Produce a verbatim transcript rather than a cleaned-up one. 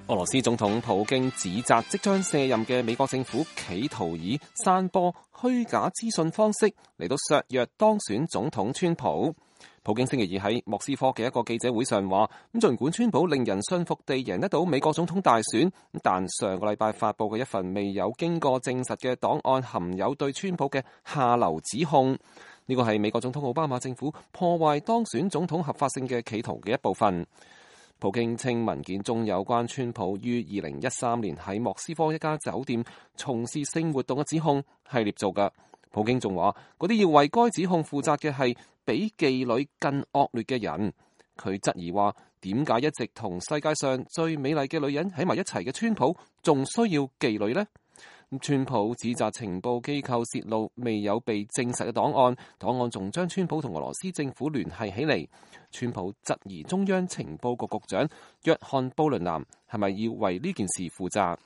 俄羅斯總統普京指責即將卸任嘅美國政府企圖以散播虛假資訊方式嚟到削弱當選總統川普。普京星期二喺莫斯科嘅一個記者會上話，咁儘管川普令人信服地贏得到美國總統大選，但上個禮拜發佈嘅一份未有經過證實嘅檔案含有對川普嘅下流指控。呢個係美國總統奧巴馬政府破壞當選總統合法性嘅企圖嘅一部分。普京稱文件中有關川普於二零一三年喺莫斯科一家酒店從事性活動嘅指控係捏造㗎。普京仲話，嗰啲要為該指控負責嘅係比妓女更惡劣嘅人。佢質疑話，點解一直同世界上最美麗嘅女人喺埋一齊嘅川普仲需要妓女呢？川普指責情報機構泄露未有被證實嘅檔案，檔案仲將川普同俄羅斯政府聯繫起嚟。川普質疑中央情報局局長約翰布倫南係咪要為呢件事負責？